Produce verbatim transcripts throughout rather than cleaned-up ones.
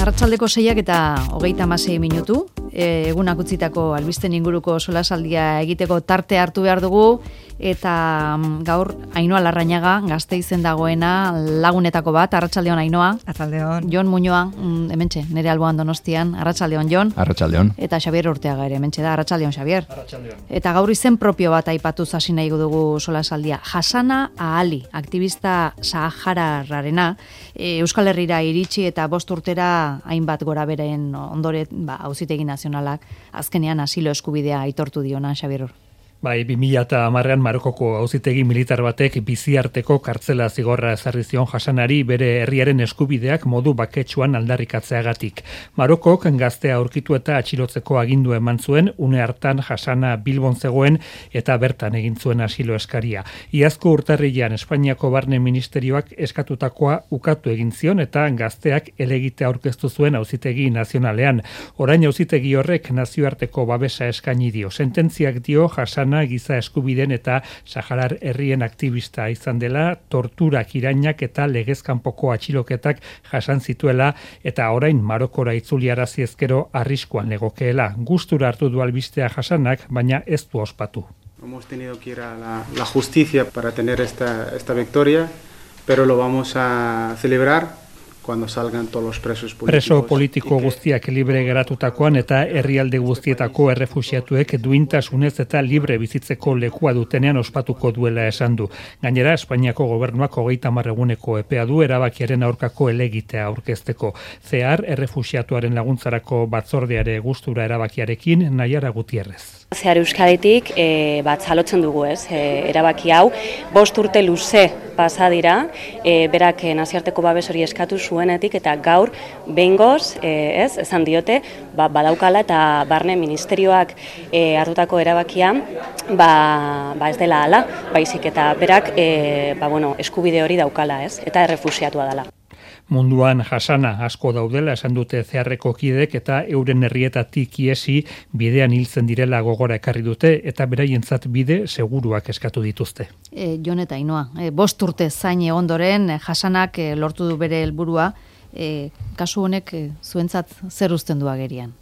Arratsaldeko seiak eta hogeita hamasei minutu, e, egunak utzitako albisten inguruko solasaldia egiteko tarte hartu behar dugu, eta gaur Ainhoa Larrañaga Gasteizen dagoena lagunetako bat. Arratsaldeon Ainhoa. Arratsaldeon. Jon Muñoa, hementxe, nere alboan Donostian. Arratsaldeon Jon. Arratsaldeon. Eta Xabier Urteaga ere hementxe da. Arratsaldeon Xabier. Arratsaldeon. Eta gaur izen propio bat aipatuz hasi nahi dugu solasaldia. Hasana Ali, aktivista sahararrarena, e, Euskal Herrira iritsi eta bost urtera hainbat gora beren ondoren, ba, Auzitegi Nazionalak azkenean asilo eskubidea aitortu diona, Xabier. Bai, bi mila hamarrean Marokoko auzitegi militar batek biziarteko kartzela zigorra ezarri zion Hasanari bere herriaren eskubideak modu baketsuan aldarrikatzeagatik. Marokok gaztea aurkitu eta atxilotzeko agindu eman zuen, une hartan Hasana Bilbon zegoen eta bertan egin zuen asilo eskaria. Iazko urtarrilean Espainiako Barne Ministerioak eskatutakoa ukatu egin zion eta gazteak helegite aurkeztu zuen auzitegi nazionalean. Orain auzitegi horrek nazioarteko babesa eskaini dio. Sententziak dio Hasana giza eskubiden eta Saharar herrien aktivista izan dela, torturak, irainak eta legezkanpoko atxiloketak jasan zituela eta orain Marokora itzuliarazi ezkero arriskuan legokeela. Gustura hartu du albistea Hasanak, baina ez du ospatu. Hemos tenido que ir a la, la justicia para tener esta, esta victoria, pero lo vamos a celebrar cuando salgan todos los presos políticos. Preso politiko guztiak libre geratutakoan eta herrialde guztietako errefuxiatuek duintasunez eta libre bizitzeko lekua dutenean ospatuko duela esan du. Gainera, Espainiako gobernuak hogeita hamar eguneko epea du erabakiaren aurkako helegitea aurkezteko. Zehar, errefuxiatuaren laguntzarako batzordeare gustura erabakiarekin Naiara Gutierrez. Zehar Euskaditik e, bat zalotzen dugu ez, e, erabaki hau, bost urte luze pasa dira, e, berak e, nazioarteko babes hori eskatu zuenetik eta gaur behingoz, e, ez, esan diote, ba, badaukala eta Barne Ministerioak e, hartutako erabakia, ba, ba ez dela hala, baizik eta berak e, ba, bueno, eskubide hori daukala ez, eta errefuxiatua dela. Munduan Hasana asko daudela esan dute zeharreko kidek eta euren herrietatik iesi bidean hiltzen direla gogora ekarri dute eta beraientzat bide seguruak eskatu dituzte. E, Jon eta Ainhoa, e, bost urte zain ondoren Hasanak e, lortu du bere helburua, e, kasu honek e, zuentzat zer uzten du agerian?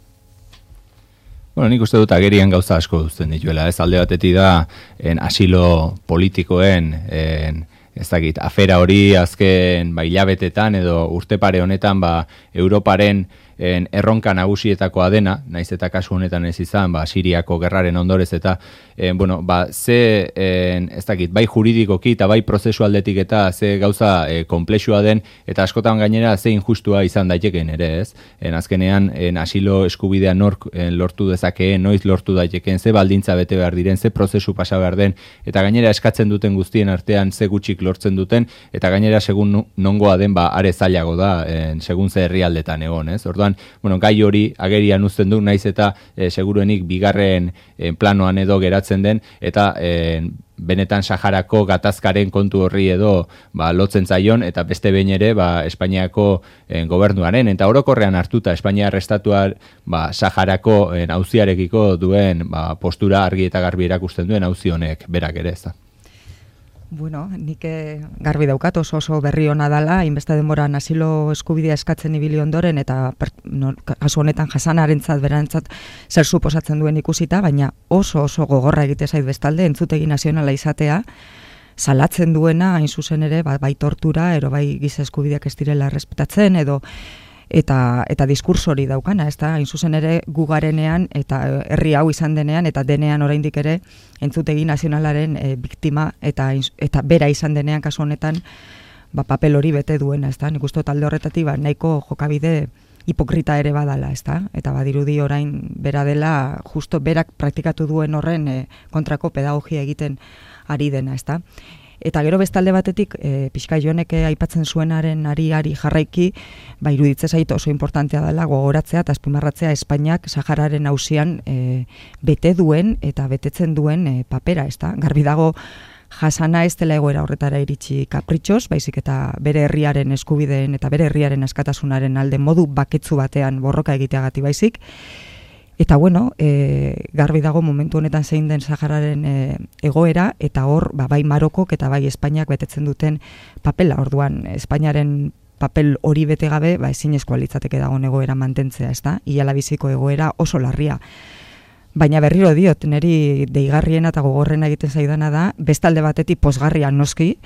Bueno, nik uste dut agerian gauza asko uzten dituela, ez alde batetik da en asilo politikoen en ez dakit, afera hori azken ba, hilabetetan edo urte pare honetan ba, Europaren en, erronka nagusietakoa dena, naiz eta kasu honetan ez izan, ba, Siriako gerraren ondorez eta en, bueno, ba, ze, en, ez dakit, bai juridikoki eta bai prozesu aldetik eta ze gauza e, komplexua den eta askotan gainera ze injustua izan daiteken ere, ez? En, azkenean, en, asilo eskubidea nork en, lortu dezakeen, noiz lortu daiteken, ze baldintza bete behar diren, ze prozesu pasa behar den, eta gainera eskatzen duten guztien artean ze gutxik lortzen duten, eta gainera segun nongoa den, ba, are zailago da, en, segun ze herrialdetan egon, ez? Orduan, bueno, gai hori agerian uzten du, naiz eta e, seguruenik bigarren e, planoan edo geratzen den, eta e, benetan Saharako gatazkaren kontu horri edo ba, lotzen zaion, eta beste behin ere ba, Espainiako e, gobernuaren, eta orokorrean hartuta Espainiar estatuar ba, Saharako e, auziarekiko duen ba, postura argi eta garbi erakusten duen auzi honek berak ere ez da. Bueno, nik garbi daukat oso oso berri ona dala, hainbeste denboran asilo eskubidea eskatzen ibili ondoren eta per, no, kasu honetan Hasanarentzat berantzat zer suposatzen duen ikusita, baina oso oso gogorra egite zait bestalde entzutegi nazionala izatea, salatzen duena hain zuzen ere ba, bai tortura, ero bai giza eskubideak ez direla errespetatzen edo eta eta diskurso hori daukana, ez da, hain zuzen ere gugarenean eta herri hau izan denean eta denean oraindik ere entzutegi nazionalaren e, biktima eta eta bera izan denean kasu honetan ba, papel hori bete duena, ez da, nik uste talde horretatik ba, nahiko jokabide hipokrita ere badala, ez da, eta badirudi orain bera dela justo berak praktikatu duen horren e, kontrako pedagogia egiten ari dena, ez da. Eta gero bestalde batetik, e, pixka Jonek aipatzen zuenaren ari-ari jarraiki, ba, iruditze zait oso importantea dela gogoratzea eta azpimarratzea Espainiak Sahararen auzian e, bete duen eta betetzen duen e, papera, ez da? Garbi dago Hasana ez dela egoera horretara iritsi kapritxoz, baizik eta bere herriaren eskubideen eta bere herriaren askatasunaren alde modu baketsu batean borroka egiteagatik baizik. Eta bueno, e, garbi dago momentu honetan zein den Sahararen e, egoera, eta hor ba, bai Marokok eta bai Espainiak betetzen duten papela. Orduan, Espainiaren papel hori bete gabe, ba, ezinezkoa litzateke dagoen egoera mantentzea, ez da? Iala biziko egoera oso larria. Baina berriro diot, niri deigarriena eta gogorrena egiten zaidana da, bestalde batetik posgarria noski,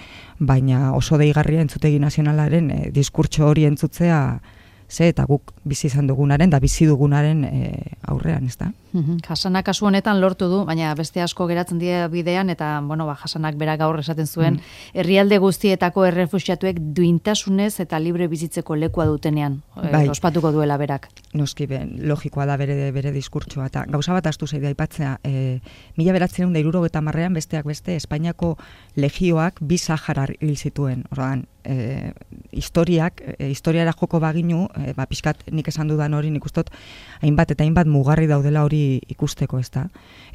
baina oso deigarria entzutegi nazionalaren e, diskurtso hori entzutzea, ze eta guk bizi izan dugunaren, da bizi dugunaren e, aurrean, ez da? Jasanak kasu honetan lortu du, baina beste asko geratzen dira bidean, eta bueno, ba, Jasanak berak gaur esaten zuen, mm. herrialde guztietako errefuxiatuek duintasunez eta libre bizitzeko lekua dutenean, bai. e, ospatuko duela berak. Noski, ben, logikoa da bere, bere diskurtsoa, eta gauza bat astu zaidea aipatzea, e, mila beratzen da hirurogeita hamarrean besteak beste, Espainiako legioak bi Saharar hil zituen, ordan, e, historiak, e, historiara joko baginu, e, ba, pixkat nik esan dudan hori, nik ustot, hainbat eta hainbat mugarri daudela hori ikusteko, ez da.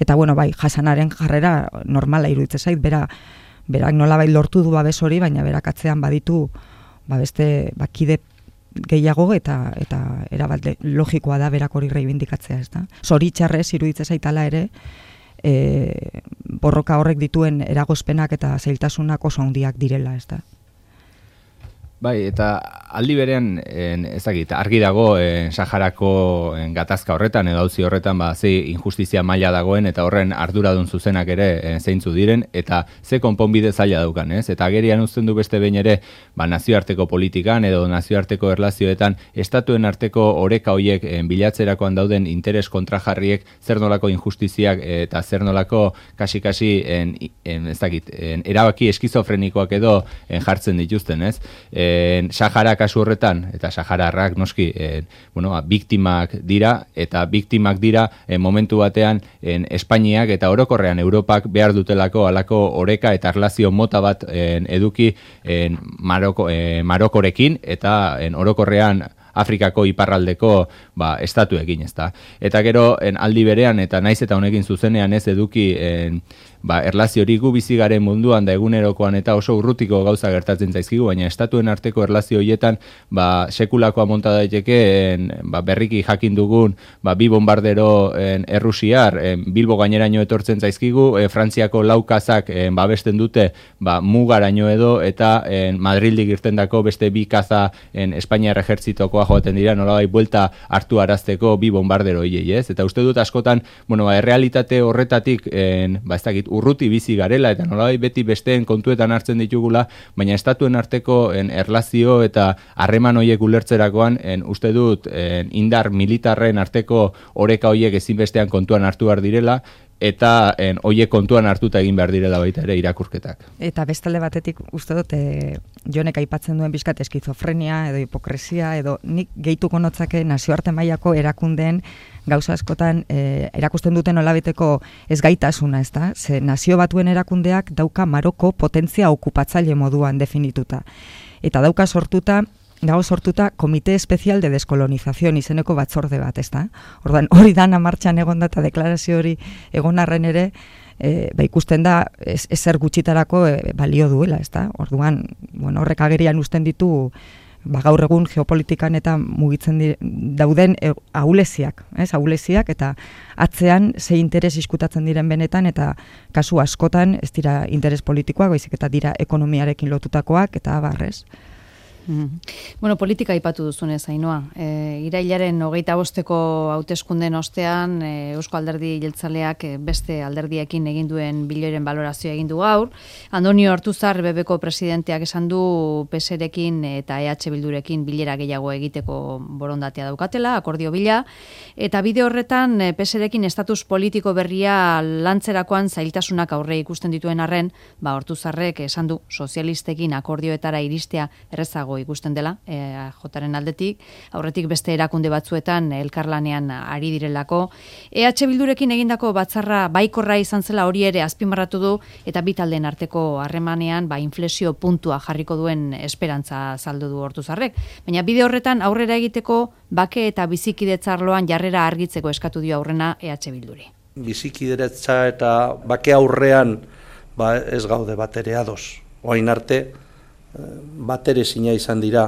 Eta, bueno, bai, Jasanaren jarrera normala iruditzen zait, bera, berak nolabait lortu du babes hori, baina berak atzean baditu, ba, beste, bakide gehiago eta eta erabat logikoa da berak hori reibindikatzea, ez da. Zoritxarrez iruditzen zaitala ere, e, borroka horrek dituen eragozpenak eta zailtasunak oso handiak direla, ez da. Bai, eta aldi berean, en, ezagit, argi dago en, Saharako en, gatazka horretan edo auzi horretan ba, ze injustizia maila dagoen eta horren arduradun zuzenak ere en, zeintzu diren eta ze konponbide zaila daukan, ez? Eta agerian uzten du beste behin ere ba, nazioarteko politikan edo nazioarteko erlazioetan estatuen arteko oreka hoiek en, bilatzerakoan dauden interes kontrajarriek zer nolako injustiziak eta zer nolako kasi-kasi en, en, ezagit, en, erabaki eskizofrenikoak edo en, jartzen dituzten, ez? E, Sahara kasu horretan, eta Sahararrak noski, eh, bueno, biktimak dira, eta biktimak dira eh, momentu batean en, Espainiak eta orokorrean Europak behar dutelako alako oreka eta erlazio mota bat en, eduki en, Maroko, eh, Marokorekin, eta en, orokorrean Afrikako iparraldeko ba, estatuekin, ez da. Eta gero, en, aldi berean, eta naiz eta honekin zuzenean ez eduki en, ba, erlaziorik gu bizi garen munduan da egunerokoan eta oso urrutiko gauza gertatzen zaizkigu, baina estatuen arteko erlazio horietan ba, sekulakoa monta daiteke en, ba, berriki jakin dugun ba, bi bombardero en, errusiar en, Bilbo gaineraino etortzen zaizkigu, e, Frantziako laukazak en, babesten dute ba, mugaraino edo eta en, Madrildik irtendako beste bi kaza en, Espainiar ejertzitokoa joaten dira, nolabait buelta hartu arazteko bi bombardero hiei, ez? Eta uste dut askotan, bueno, ba, errealitate horretatik en, ba, ez dakit, urruti bizi garela eta nolabait beti besteen kontuetan hartzen ditugula, baina estatuen arteko en, erlazio eta harreman hoiek ulertzerakoan en, uste dut en, indar militarren arteko oreka hoiek ezinbestean kontuan hartu behar direla eta en, hoiek kontuan hartuta egin behar direla baita ere irakurketak. Eta bestalde batetik uste dut e, Jonek aipatzen duen bizkat eskizofrenia edo hipokresia edo nik gehituko notzake nazioarte mailako erakundeen gauza askotan e, erakusten duten olabeteko ezgaitasuna, ez da? Ze nazio batuen erakundeak dauka Maroko potentzia okupatzaile moduan definituta. Eta dauka sortuta dago sortuta Komite Espezial de Deskolonización izeneko batzorde bat, ez da? Orduan, hori dana martxan egonda eta deklarazio hori egon arren ere, e, ba ikusten da ez, ezer gutxitarako e, balio duela, ez da? Orduan, bueno, horrek agerian uzten ditu ba, gaur egun geopolitikan eta mugitzen di, dauden e, ahuleziak, ez? Ahuleziak eta atzean ze interes iskutatzen diren benetan eta kasu askotan ez dira interes politikoak, baizik eta dira ekonomiarekin lotutakoak eta barrez. Mm. Bueno, politika aipatu duzunez, Ainhoa. E, irailaren hogeita bosteko hauteskunden ostean, e, Eusko Alderdi Jeltzaleak beste alderdiekin egin duen biloiren balorazioa egin du gaur. Andonio Ortuzar B B ko presidenteak esan du P S rekin eta E H Bildurekin bilera gehiago egiteko borondatea daukatela, akordio bila, eta bide horretan P S rekin estatus politiko berria lantzerakoan zailtasunak aurre ikusten dituen arren, ba Ortuzarrek esan du sozialistekin akordioetara iristea errezago ikusten dela, e, jotaren aldetik, aurretik beste erakunde batzuetan elkarlanean ari direlako. E H Bildurekin egindako batzarra baikorra izan zela hori ere azpimarratu du eta bi taldeen arteko harremanean ba inflexio puntua jarriko duen esperantza saldu du Ortuzarrek. Baina bide horretan aurrera egiteko bake eta bizikidetza arloan jarrera argitzeko eskatu dio aurrena E H Bilduri. Bizikidetza eta bake aurrean ba ez gaude batere ados. Orain arte batere zina izan dira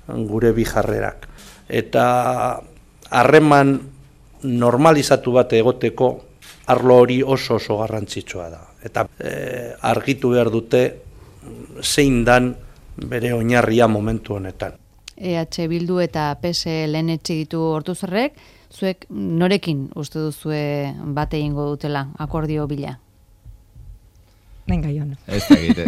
gure bi jarrerak. Eta harreman normalizatu bat egoteko arlo hori oso oso garrantzitsua da. Eta e, argitu behar dute zein dan bere oinarria momentu honetan. E H Bildu eta P S lehen etxe ditu Ortuzarrek, zuek norekin uste duzue bate egingo dutela akordio bila? Venga, Jon. Ez da egite.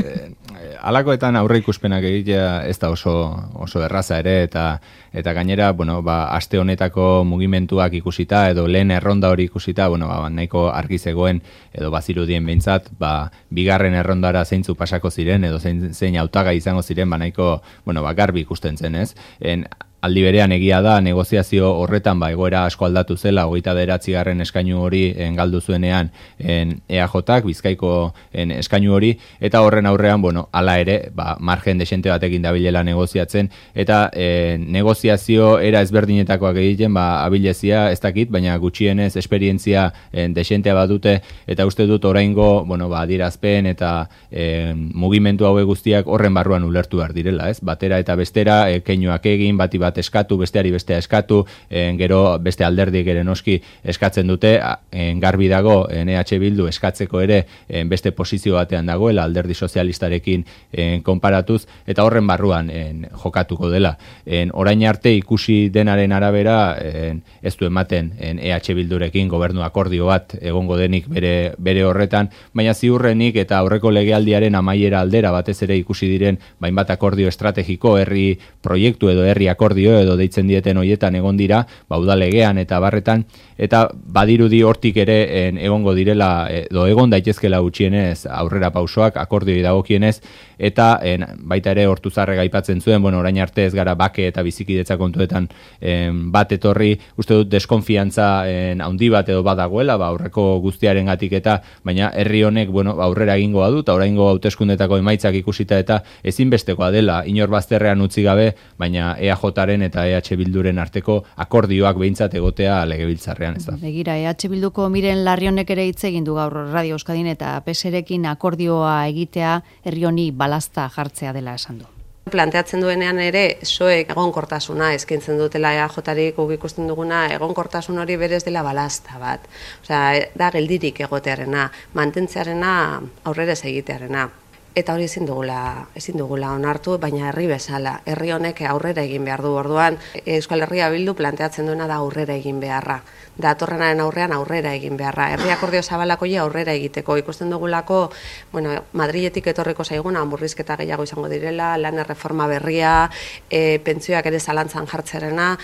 Alakoetan aurre ikuspenak egitea ez da oso, oso erraza ere, eta eta gainera, bueno, ba, aste honetako mugimenduak ikusita, edo lehen erronda hori ikusita, bueno, ba, nahiko argi zegoen, edo bazirudien behintzat, ba, bigarren errondara zeintzu pasako ziren, edo zein, zein hautaga izango ziren, ba, nahiko, bueno, ba, garbi ikusten zen, ez? En, aldi berean egia da, negoziazio horretan ba, egoera asko aldatu zela, hogeita bederatzigarren eskainu hori en, galdu zuenean en, E A Jak, Bizkaiko en, eskainu hori, eta horren aurrean, bueno, ala ere, ba, margen desente batekin dabilela negoziatzen, eta en, negoziazio era ezberdinetakoak egiten, ba, abilezia ez dakit, baina gutxienez esperientzia en, desentea badute, eta uste dut oraingo, bueno, ba, adierazpen eta en, mugimendu haue guztiak horren barruan ulertu behar direla, ez? Batera eta bestera, e, keinuak egin, bati bat eskatu, besteari bestea eskatu, en, gero beste alderdik ere noski eskatzen dute, en, garbi dago en, E H Bildu eskatzeko ere en, beste posizio batean dagoela alderdi sozialistarekin en, konparatuz, eta horren barruan en, jokatuko dela. En, orain arte ikusi denaren arabera en, ez du ematen en, E H Bildurekin gobernu akordio bat egongo denik bere, bere horretan, baina ziurrenik eta aurreko legealdiaren amaiera aldera batez ere ikusi diren bainbat akordio estrategiko, herri proiektu edo herri akordio edo deitzen dieten hoietan egon dira, ba, udalegean eta barretan, eta badirudi hortik ere en, egongo direla, edo egon daitezkela gutxienez aurrera pausoak, akordioi dagokienez, eta en, baita ere Ortuzarrek aipatzen zuen, bueno, orain arte ez gara bake eta bizikidetza kontuetan en, bat etorri, uste dut deskonfiantza en, handi bat edo badagoela, ba, aurreko guztiaren gatik eta, baina herri honek, bueno, aurrera egingo badu, eta oraingo hauteskundetako emaitzak ikusita eta ezinbestekoa dela, inor bazterrean utzi gabe, baina E A Jaren eta E H Bilduren arteko akordioak behintzat egotea legebiltzarrean, ez da. Begira, E H Bilduko Miren Larrionek ere hitz egin du gaur Radio Euskadin eta P S rekin akordioa egitea herri honi balazta jartzea dela esan du. Planteatzen duenean ere, soek egonkortasuna eskaintzen dutela E A Jarik guk ikusten duguna, egonkortasun hori berez dela balazta bat. Osea, da geldirik egotearena, mantentzearena, aurrera ez egitearena. Eta hori ezin dugula, ezin dugula onartu, baina herri bezala, herri honek aurrera egin behar du. Orduan, Euskal Herria Bildu planteatzen duena da aurrera egin beharra. Datorrenaren aurrean aurrera egin beharra. Herri akordio zabalakoia aurrera egiteko. Ikusten dugulako, bueno, Madriletik etorriko zaiguna, murrizketa gehiago izango direla, lan erreforma berria, e, pentsioak ere zalantzan jartzerena.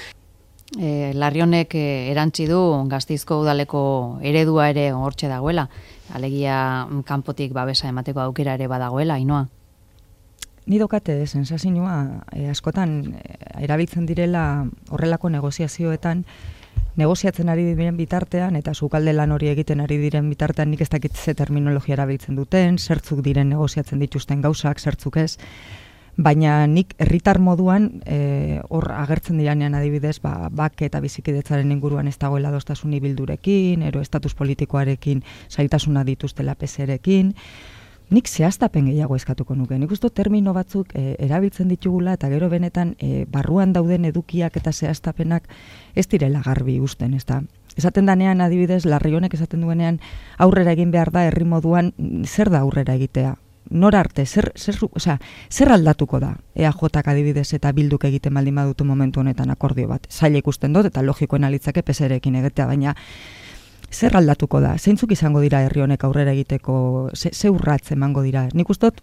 E, Larrionek e, erantzi du Gasteizko udaleko eredua ere hortxe dagoela. Alegia kanpotik babesa emateko aukera ere badagoela, Ainoa. Ni dokate sensazioa e, askotan e, erabiltzen direla horrelako negoziazioetan, negoziatzen ari diren bitartean eta sukalde lan hori egiten ari diren bitartean nik ez dakit ze terminologia erabiltzen duten, zertzuk diren negoziatzen dituzten gauzak, zertzuk ez. Baina nik herritar moduan e, hor agertzen diranean adibidez, ba, bake eta bizikidetzaren inguruan ez dagoela adostasuni Bildurekin, ero estatus politikoarekin zailtasuna dituztela P S rekin, nik zehaztapen gehiago eskatuko nuke. Nik uste termino batzuk e, erabiltzen ditugula eta gero benetan e, barruan dauden edukiak eta zehaztapenak ez direla garbi usten, ez da. Esaten danean adibidez, Larrionek esaten duenean aurrera egin behar da herri moduan, zer da aurrera egitea? Nor arte, zer, zer, osea, zer aldatuko da E A Jak adibidez eta Bilduk egiten baldin badutu momentu honetan akordio bat. Zaila ikusten dut eta logikoen alitzake P S rekin egitea, baina zer aldatuko da? Zeintzuk izango dira herri honek aurrera egiteko, ze, ze urratz emango dira? Nik ustot,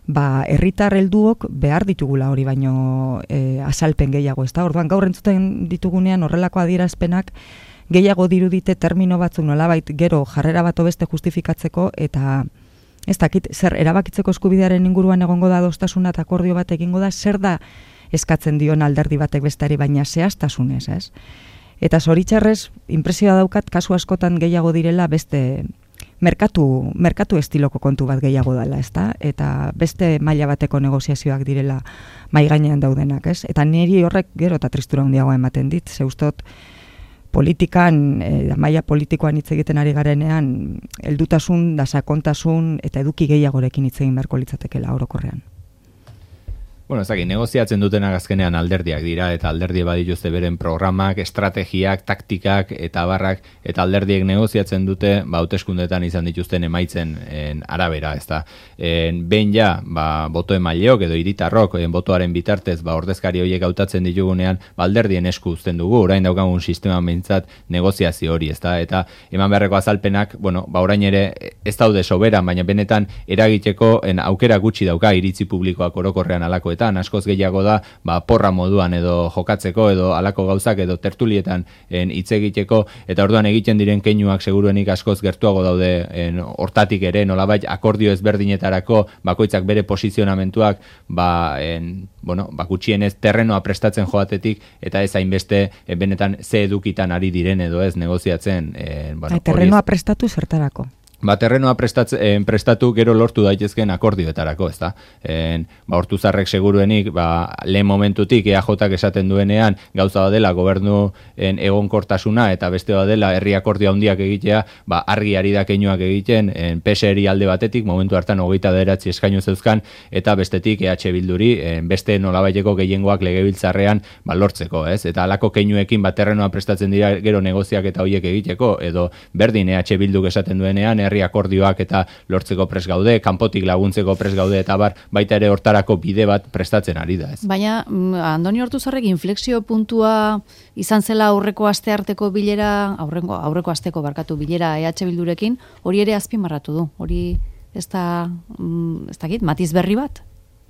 ba, herritar helduok behar ditugula hori baino e, azalpen gehiago, ez da? Orduan gaur entzuten ditugunean horrelako adierazpenak gehiago dirudite termino batzuk nolabait gero jarrera bat beste justifikatzeko eta ez dakit, zer erabakitzeko eskubidearen inguruan egongo da adostasuna eta akordio bat egingo da, zer da eskatzen dion alderdi batek bestari, baina zehaztasunez, ez? Eta zoritxarrez, inpresioa daukat, kasu askotan gehiago direla beste merkatu, merkatu estiloko kontu bat gehiago dela, ezta? Eta beste maila bateko negoziazioak direla mai gainean daudenak, ez? Eta niri horrek gero eta tristura handiago ematen dit, ze ustot, politikan, e, maila politikoan hitz egiten ari garenean, heldutasun, da sakontasun eta eduki gehiagorekin hitz egin beharko litzatekeela orokorrean. Bueno, ez dakit, negoziatzen dutenak azkenean alderdiak dira, eta alderdi badituzte beren programak, estrategiak, taktikak, eta barrak, eta alderdiek negoziatzen dute, ba, hauteskundetan izan dituzten emaitzen en, arabera, ez da. En, behin ja, ba, boto emaileok edo hiritarrok, en, botoaren bitartez, ba, ordezkari horiek hautatzen ditugunean, ba, alderdien esku uzten dugu, orain daukagun sistema behintzat negoziazio hori, ez da, eta eman beharreko azalpenak, bueno, ba, orain ere ez daude soberan, baina benetan eragiteko en, aukera gutxi dauka iritzi publikoak orokorrean alako askoz gehiago da, ba, porra moduan edo jokatzeko edo alako gauzak edo tertulietan hitz egiteko, eta orduan egiten diren keinuak seguruenik askoz gertuago daude en, hortatik ere, nolabait akordio ezberdinetarako bakoitzak bere posizionamentuak ba, en, bueno, ba, gutxienez terrenoa prestatzen joatetik eta ez hainbeste en, benetan ze edukitan ari diren edo ez negoziatzen. En, bueno, terrenoa prestatu zertarako? Ba, terrenoa prestatze, prestatu gero lortu daitezken akordioetarako, ez da? En, ba, Hortuzarrek seguruenik, ba, lehen momentutik E A Jak esaten duenean gauza badela gobernu en, egonkortasuna eta beste badela herri akordio handiak egitea, ba, argi ari da keinuak egiten, en, P S eri alde batetik, momentu hartan hogeita bederatzi eskainu zeuzkan, eta bestetik E H Bilduri, en, beste nolabaiteko gehiengoak legebiltzarrean ba, lortzeko, ez? Eta alako keinuekin ba, terrenoa prestatzen dira gero negoziak eta hoiek egiteko, edo berdin E H Bilduk esaten duenean, herri akordioak eta lortzeko pres gaude, kanpotik laguntzeko pres gaude eta bar, baita ere hortarako bide bat prestatzen ari da, ez? Baina, Andoni Hortuzarrek inflexio puntua izan zela aurreko aste arteko bilera, aurreko, aurreko asteko barkatu bilera E H Bildurekin, hori ere azpimarratu du, hori ez da, ez dakit, matiz berri bat?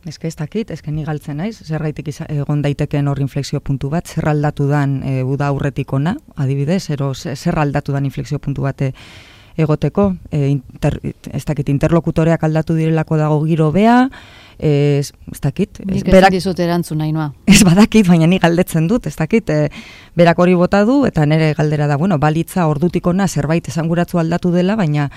Ez que ez dakit, ez que ni galtzen naiz, zerraitik egon daiteken hor inflexio puntu bat, zer aldatu dan e, uda aurretik ona, adibidez, ero zer aldatu dan inflexio puntu bate egoteko, e, inter, ez dakit, interlokutoreak aldatu direlako dago giro bea, ez, ez dakit. Ez, nik ez dizut erantzun nahi noa. Ez badakit, baina ni galdetzen dut, ez dakit, e, berak hori bota du, eta nire galdera da, bueno, balitza ordutik ona zerbait esanguratzu aldatu dela, baina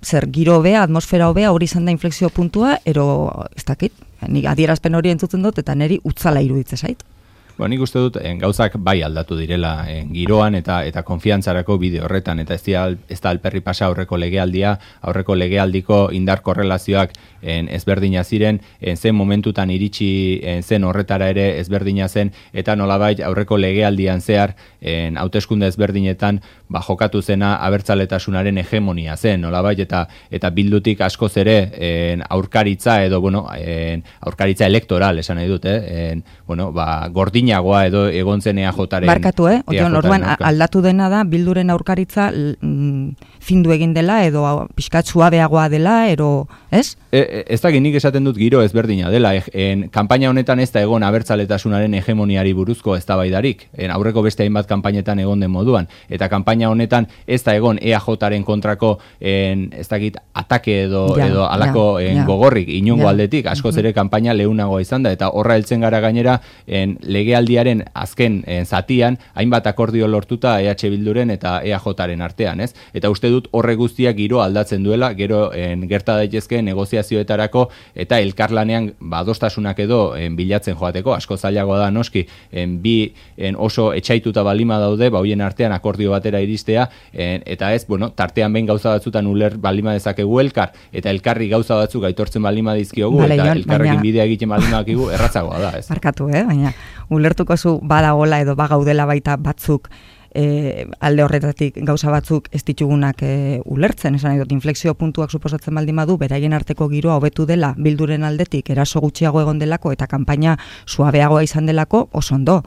zer giro bea, atmosfera hobea, hori izan da inflexio puntua, ero, ez dakit, ni adierazpen hori entzutzen dut, eta niri utzala iruditze zait. Bueno, nik uste dut, en, gauzak bai aldatu direla en, giroan eta eta konfiantzarako bide horretan, eta ez, dia, ez da alperri pasa aurreko legealdia, aurreko legealdiko indar korrelazioak en, ezberdina ziren, en, zen momentutan iritsi en, zen horretara ere ezberdina zen, eta nolabait aurreko legealdian zehar, en, hauteskunde ezberdinetan, ba, jokatu zena abertzaletasunaren hegemonia zen, nolabait, eta eta bildutik askoz ere en, aurkaritza edo, bueno, en, aurkaritza elektoral, esan nahi dut, eh? en, bueno, ba, gordin edo egon zen E A Jaren. Barkatu, eh? Otion, orduan, aldatu dena da, Bilduren aurkaritza mm, findu egin dela, edo pixkat suabeagoa dela, ero, ez? E, ez da nik esaten dut giro ezberdina dela. En, kanpaina honetan ez da egon abertzaletasunaren hegemoniari buruzko eztabaidarik. En, aurreko beste hainbat kanpainetan egon den moduan. Eta kanpaina honetan ez da egon E A Jaren kontrako, en, ez dakit, atake edo, ja, edo alako ja, en, ja. gogorrik, inongo ja. aldetik, askoz ere kanpaina leunagoa izan da, eta horra heltzen gara gainera, en, lege aldiaren azken en, zatian, hainbat akordio lortuta E H Bilduren eta E A Jaren artean, ez? Eta uste dut horre guztiak giro aldatzen duela, gero en, gerta daitezke negoziazioetarako eta elkarlanean badostasunak edo en, bilatzen joateko, asko zailagoa da noski, en, bi en, oso etxaituta balima daude, ba hoien artean akordio batera iristea, en, eta ez, bueno, tartean behin gauza batzutan uler balima dezakegu elkar, eta elkarri gauza batzuk aitortzen balima dizkiogu, vale, eta elkarrekin baina... bidea egiten balima dakigu, erratzagoa da, ez? Markatu, eh? Baina ulertuko zu badagola edo bagaudela baita batzuk e, alde horretatik gauza batzuk ez ditugunak e, ulertzen, esan nahi dut, inflexio puntuak suposatzen baldin badu, beraien arteko giroa hobetu dela Bilduren aldetik eraso gutxiago egon delako eta kanpaina suabeagoa izan delako, oso ondo.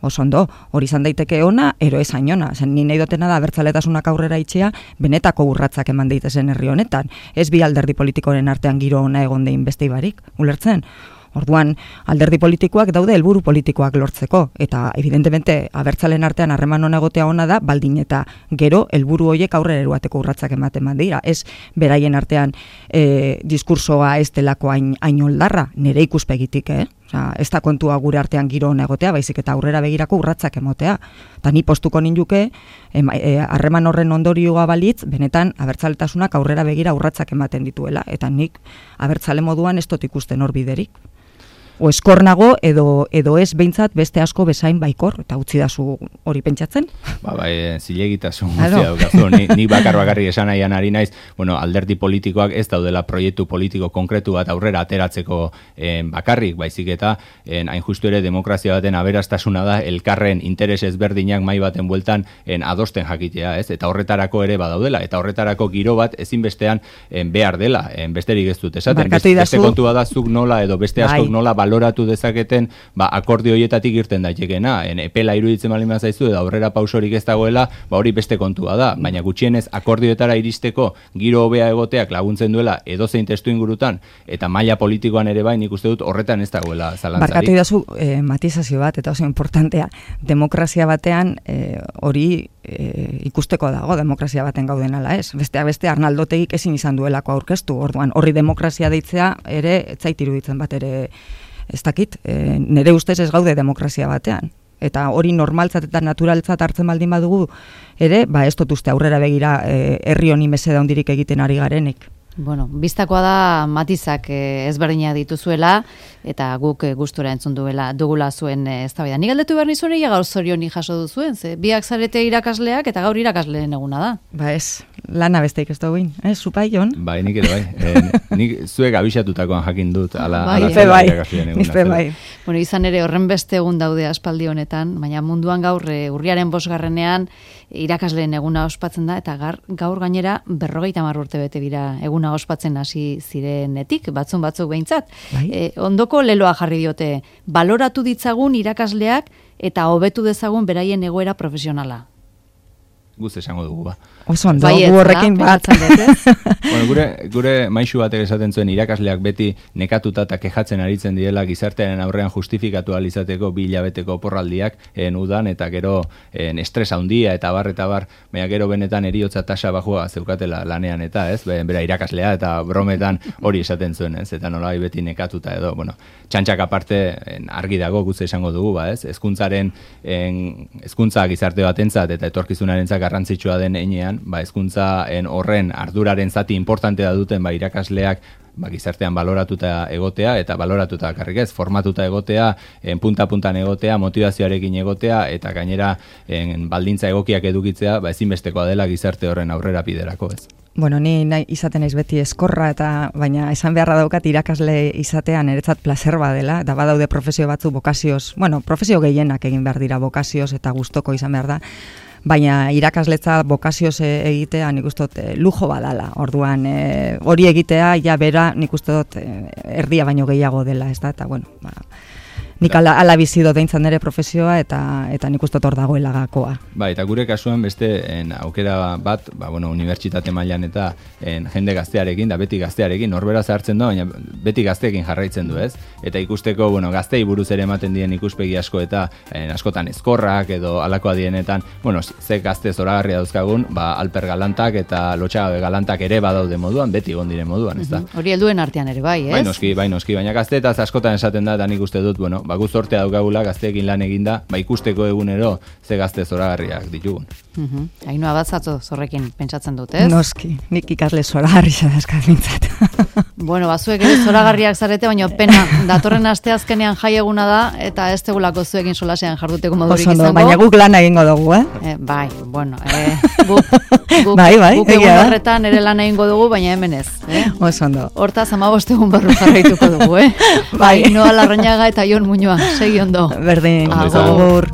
Oso ondo, hori izan daiteke ona, ero ez ainona. Zen, ni nahi dutena da abertzaletasunak aurrera itxea, benetako urratzak eman daitezen herri honetan. Ez bi alderdi politikoren artean giro ona egon dein beste ibarik, ulertzen? Orduan, alderdi politikoak daude helburu politikoak lortzeko, eta evidentemente abertzalen artean harreman hona egotea ona da, baldin eta gero helburu horiek aurrera eruateko urratsak ematen dira. Ez beraien artean e, diskursoa ez delako hain, hain oldarra, nire ikuspegitik, eh? Osa, ez da kontua gure artean giro hona egotea, baizik eta aurrera begirako urratsak emotea. Eta ni postuko ninduke, harreman e, horren ondorioa balitz, benetan abertzaletasunak aurrera begira urratsak ematen dituela, eta nik abertzale moduan ez dut ikusten hor biderik. o eskornago edo edo ez behintzat beste asko bezain baikor, eta utzi dazu hori pentsatzen. Ba, bai, zilegitasun guztia daukazu, ni, ni bakar bakarri esan nahian ari naiz, bueno, alderdi politikoak ez daudela proiektu politiko konkretu bat aurrera ateratzeko eh, bakarrik, baizik eta eh, hain justu ere demokrazia baten aberastasuna da elkarren interes ezberdinak mai baten bueltan eh, adosten jakitea, ez? Eta horretarako ere badaudela, eta horretarako giro bat ezinbestean eh, behar dela, eh, besterik ez dut esaten, beste, beste kontua da zuk nola edo beste askok nola baloratu dezaketen, ba, akordio horietatik irten daitekena, en epela iruditzen baldin bazaizu edo aurrera pausorik ez dagoela, ba hori beste kontua da, baina gutxienez akordioetara iristeko giro hobea egoteak laguntzen duela edozein testu ingurutan eta maila politikoan ere bai, nik uste dut horretan ez dagoela zalantzarik. Barkatu idazu eh, matizazio bat, eta oso importantea, demokrazia batean eh, hori eh, ikusteko dago, demokrazia baten gauden ala ez. Besteak beste Arnaldotegik ezin izan duelako aurkeztu, orduan horri demokrazia deitzea ere ez zait iruditzen bat ere ez dakit, e, nire ustez ez gaude demokrazia batean. Eta hori normaltzat eta naturaltzat hartzen baldin badugu ere, ba ez dut uste aurrera begira e, herri honi meseda handirik egiten ari garenik. Bueno, biztakoa da matizak eh, ezberdina dituzuela eta guk eh, gustura entzun duela dugula zuen eh, eztabaida. Ni galdetu behar nizuen ia gaur zorioni jaso duzuen, ze biak zarete irakasleak eta gaur irakasleen eguna da. Ba ez, lana besteik ez duguin, eh, zupai, Jon? Bai, nik ere bai. Eh, nik zuek abisatutakoan jakin dut, ala, bai, ala bai, irakasleen eguna. bai. Bueno, izan ere horren beste egun daude aspaldi honetan, baina munduan gaur e, urriaren bosgarrenean irakasleen eguna ospatzen da, eta gar, gaur gainera berrogeita hamar urte bete dira eguna ospatzen hasi zirenetik, batzun batzuk behintzat. Bai. E, ondoko leloa jarri diote, baloratu ditzagun irakasleak eta hobetu dezagun beraien egoera profesionala. Guz esango dugu, ba. Oso ondo, gu horrekin bat. Bueno, gure, gure maixu batek esaten zuen irakasleak beti nekatuta eta kejatzen aritzen direla gizartearen aurrean justifikatu alizateko bi hilabeteko oporraldiak en udan eta gero en estres handia eta bar eta bar, baina gero benetan eriotza tasa bajua zeukatela lanean eta ez, bera irakaslea eta brometan hori esaten zuen, ez, eta nolai beti nekatuta edo, bueno, txantxak aparte en, argi dago gutze esango dugu, ba, ez, hezkuntzaren en, hezkuntza gizarte batentzat eta etorkizunarentzat garrantzitsua den heinean, ba hezkuntza en horren arduraren zati importantea duten ba irakasleak ba gizartean baloratuta egotea eta baloratuta bakarrik ez, formatuta egotea, en punta puntan egotea, motivazioarekin egotea eta gainera en baldintza egokiak edukitzea, ba ezinbestekoa dela gizarte horren aurrera biderako, ez. Bueno, ni nahi izaten naiz beti eskorra eta baina esan beharra daukat irakasle izatean niretzat placer badela, eta badaude profesio batzu bokazioz, bueno, profesio gehienak egin behar dira bokazioz eta gustoko izan behar da. Baina irakasletza bokazioz egitea nik uste dut e, lujo badala. Orduan e, hori egitea ja bera nik uste dut e, erdia baino gehiago dela, ez da? Eta bueno, ba, nik ala, ala bizi dut deintzan nire profesioa eta eta nik uste dut hor dagoela gakoa. Ba, eta gure kasuan beste en, aukera bat, ba, bueno, unibertsitate mailan eta en, jende gaztearekin, da beti gaztearekin, norbera zartzen da, baina beti gazteekin jarraitzen du, ez? Eta ikusteko, bueno, gaztei buruz ere ematen dien ikuspegi asko eta en, askotan ezkorrak edo alakoa dienetan, bueno, ze gazte zoragarria dauzkagun, ba, Alper Galantak eta Lotxagabe Galantak ere badaude moduan, beti egon diren moduan, ez da? Uh-huh. Hori helduen artean ere bai, ez? Bai noski, bai noski, baina gazteetaz askotan esaten da, eta nik uste dut, bueno, ba, guztortea daukagula gazteekin lan eginda, ba, ikusteko egunero ze gazte zoragarriak ditugun. Uh-huh. Ainhoa batzatzo zorrekin pentsatzen dut, ez? Noski, nik ikasle zoragarri zadazkat bintzat. Bueno, bazuek ere zoragarriak zarete, baina pena, datorren asteazkenean jai eguna da, eta ez tegulako zuekin solasean jarduteko modurik Osondo, izango. baina guk lan egingo dugu, eh? eh bai, bueno, eh, guk, guk, bai, bai, guk egun horretan ere lan egingo dugu, baina hemen ez. Eh? Osondo. Hortaz, amabost egun barru jarraituko dugu, eh? Bai, Ainhoa Larrañaga eta Jon Muñoa, segi ondo. Berdin, agur.